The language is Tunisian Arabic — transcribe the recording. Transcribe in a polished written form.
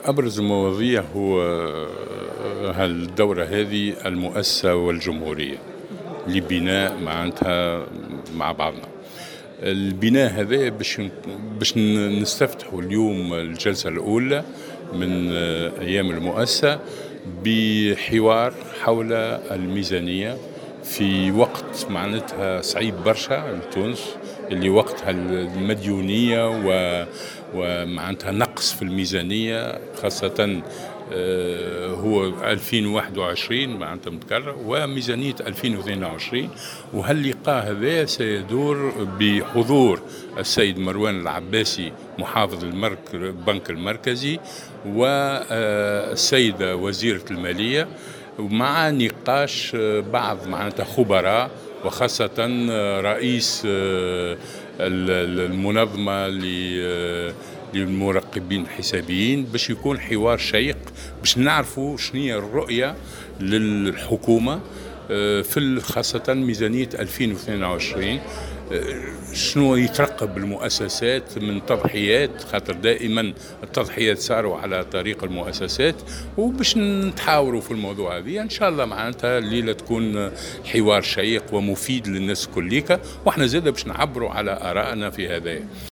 أبرز المواضيع هو هالدورة هذه المؤسسة والجمهورية لبناء معناتها مع بعضنا. البناء هذا باش نستفتحوا اليوم الجلسة الأولى من أيام المؤسسة بحوار حول الميزانية في وقت معناتها صعيب برشا لتونس، اللي وقتها المديونية ومعناتها نقص في الميزانية، خاصة هو 2021 معناتها متكرر وميزانية 2022. وهاللقاء هذا سيدور بحضور السيد مروان العباسي محافظ البنك المركزي والسيدة وزيرة المالية، ومع نقاش بعض معناتها خبراء وخاصة رئيس المنظمة للمراقبين الحسابيين، باش يكون حوار شيق باش نعرفوا شنو هي الرؤية للحكومة في خاصة ميزانية 2022، شنو يترقب المؤسسات من تضحيات، خاطر دائما التضحيات صاروا على طريق المؤسسات، وباش نتحاوروا في الموضوع هذا ان شاء الله. معناتها الليلة تكون حوار شيق ومفيد للناس كليكا، واحنا زاده باش نعبروا على ارائنا في هذا.